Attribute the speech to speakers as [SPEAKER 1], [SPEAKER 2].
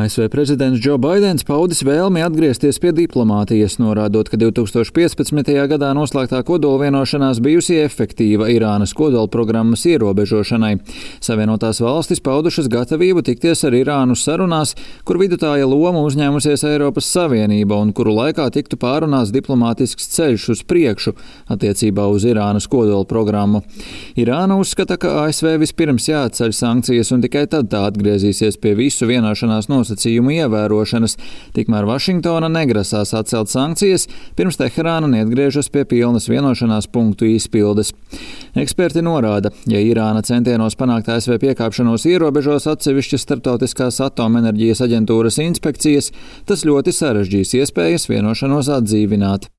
[SPEAKER 1] ASV prezidents Džo Baidens paudis vēlmi atgriezties pie diplomātijas, norādot, ka 2015. gadā noslēgtā kodolvienošanās bijusi efektīva Irānas kodolprogrammas ierobežošanai. Savienotās valstis paudušas gatavību tikties ar Irānu sarunās, kur vidutāja loma uzņēmusies Eiropas Savienība un kuru laikā tiktu pārunāts diplomātisks ceļš uz priekšu attiecībā uz Irānas kodolprogrammu. Irāna uzskata, ka ASV vispirms jāatceļ sankcijas un tikai tad tā atgriezīsies pie visu vienošanās nosacījumu ievērošanas, tikmēr Vašingtona negrasās atcelt sankcijas, pirms Teherāna neatgriežas pie pilnas vienošanās punktu izpildes. Eksperti norāda, ja Irāna centienos panākt ASV piekāpšanos ierobežos atsevišķas starptautiskās atomenerģijas aģentūras inspekcijas, tas ļoti sarežģīs iespējas vienošanos atdzīvināt.